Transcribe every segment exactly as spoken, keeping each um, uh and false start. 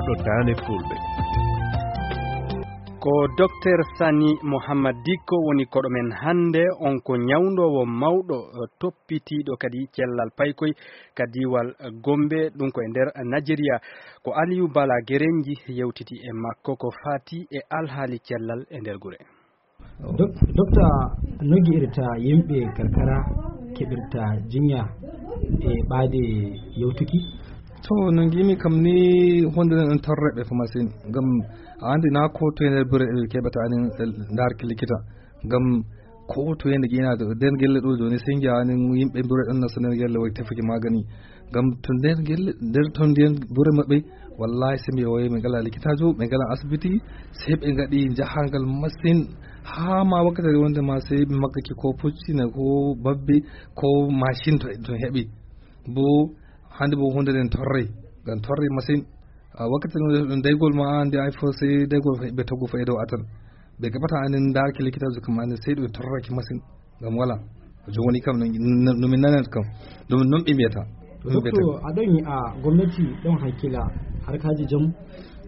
to Daande Fulɓe. Ko Docteur Sani Mohammad Dikko woni koɗo men hannde. On ko ñawndoowo mawɗo, eh, toppitiiɗo kadi cellal paykoy ka diiwal Gombe, ɗum ko e nder Najeriya. Ko Aliyu Bala Gerenji yewtiti e makko ko faati e alhaali cellal e nder gure. Dok-, Dokta, no ngi'irta yimɓe karkara keɓirta jinya e ɓaade yewtuki? To, no ngiimi kam ni, hunde nden ɗon torre ɓe ko masin. Ngam a anndi na ko to e nder bure ɓe keɓata anin, eh, ndaarki likita. Ngam ko to e nder ƴiina ɗo, nder gelle ɗo jooni, sey ngi'a anin yimɓe bure ɗon nasta nder gelle, way tefuki magani. Ngam to nder gelle, nder ton ndiyan bure maɓɓe, wallahi, sey mi wi'a ɓe ngalaa likitaajo, ɓe ngalaa asibiti, sey ɓe ngaɗi jahangal masin haa ma wakkati wonde ma sey ɓe maggaki ko pucci na ko babbe ko mashin to, to heɓi. Bo hannde bo hunde nden torrey, ngam torrey masin. A wakkati ɗum ɗum daygol ma an nde ay fo sey daygol ɓe toggo fo e dow atan. Ɓe keɓata anin ndaarki likitaajo kam anin sey ɗum torraki masin. Ngam wala. Jooni kam no, no, no min nanata kam. Ɗum non ɓe mbiyata. Ɗum ɓe mbiyata. Doktor, a ɗon yi'a gomnati ɗon hakkila harkaaji jam?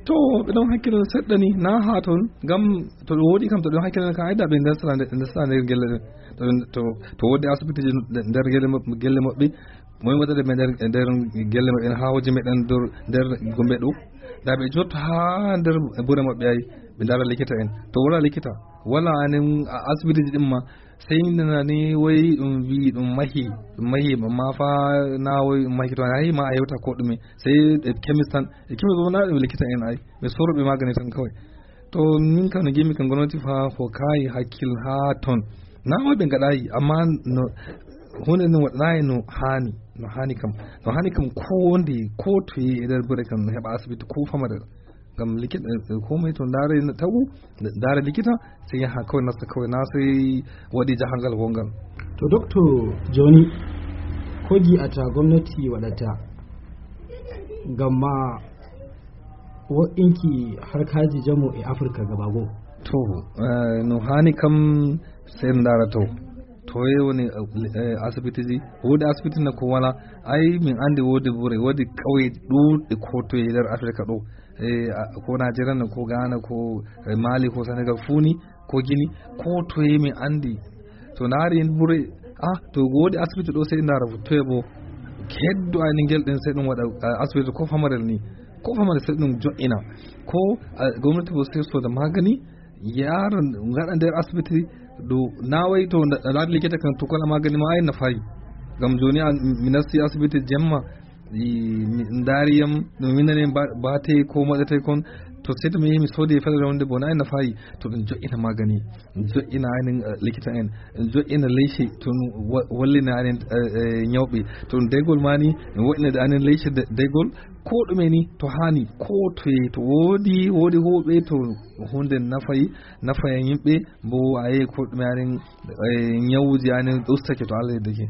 To, ɓe ɗon hakkila seɗɗa ni, na haa ton. Ngam to ɗum woodi kam, to ɗum hakkila kam, ay da ɓe ndesata nder, ndesata nder gelle ɗen. To, to, to woodi asibitiji nder gelle maɓɓe, gelle maɓɓe, moy waɗata ɓe nder, nder gelle maɓɓe, en haa hooji meɗen nder, nder gombe ɗo. Da ɓe jotto haa nder bure maɓɓe ay, ɓe ndaara likita en. To wala likita, wala anen a-, asibitiji ɗin ma, sey nana ni woy ɗum wi ɗum mahi, ɗum mahi, ma fa na woy ɗum mahi to ayi ma a hewta ko ɗume. Sey e kemis tan, e kemis bo na ɗum likita en ay. Ɓe soroɓe magani tan kawai. To min kam no ngiimi kam gomnati fa hokkayi hakkil haa ton. Na woy ɓe ngaɗayi, amma no, hunde no waɗayi no haani, no haani kam. No haani kam ko nde, ko toye e nder bure kam no heɓa asibiti ko famarel. Ngam likita, eh, ko moy to ndaare tagu, ndaare likita, sey yaha kawai nasta kawai na sey waɗi jahangal wongal. To doktor, jooni ko ngi'ata gomnati waɗata ngam ma wo'inki harkaaji jamu e Afirka gaba goo? To, eh, no haani kam sey en ndaara to. Toye woni, eh, asibitiji? Woodi asibiti na ko wala? Ay, min anndi woodi bure, woodi ƙauye ɗuuɗɗe ko toye e nder Afirka ɗo. Eh, a, ko Najeriya na, ko Ghana, ko, eh, Mali, ko Senegal fuu ni, ko Gini, ko toye min anndi. To ndaari en bure, ah, to woodi asibiti ɗo sey ndaara fu, toye bo? Heddo ay ni ngel ɗen sey ɗum waɗa, ah, asibiti ko famarel ni. Ko famarel sey ɗum jo'ina. Ko, ah, gomnati bo sey sooda magani, yaara ngaɗa nder asibiti ɗo na woy to nda-, ndaari likita kan to kala magani ma ay nafayi. Ngam jooni an mi nasti asibiti jemma, i, mi ndaari yam, no mi nani ba-, bate ko moɗete kon, to sey to mi yehi mi soodi e federe wonde bo na ay nafayi. To ɗum jo'ina magani, ɗum jo'ina anin, eh, likita en, ɗum jo'ina leyce, to ɗum wa-, wallina anin, eh, eh, ñawɓe, to ɗum daygol ma ni, ɗum wo'ina anin leyce de-, daygol, ko ɗume ni, to haani, ko toye, to woodi, woodi huuɓe, to hunde nafayi, nafayan yimɓe, bo a yehi ko ɗume anin, eh, ñawuji anin ustake to Allah yeddake.